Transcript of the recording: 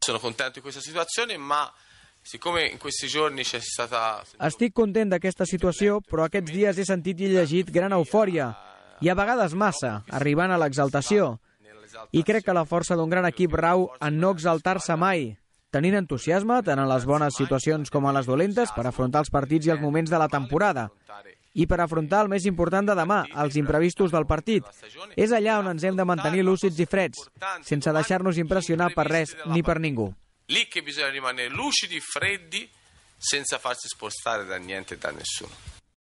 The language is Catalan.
sono contento di questa situazione, ma siccome in questi giorni c'è stata... Estic content d'aquesta situació, però aquests dies he sentit i llegit gran eufòria, i a vegades massa, arribant a l'exaltació. I crec que la força d'un gran equip rau en no exaltar-se mai, tenint entusiasme tant en les bones situacions com en les dolentes per afrontar els partits i els moments de la temporada. I per afrontar el més important de demà, els imprevistos del partit. És allà on ens hem de mantenir lúcids i freds, sense deixar-nos impressionar per res ni per ningú. Lì che bisogna rimanere lucidi, freddi, senza farsi spostare da niente e da nessuno.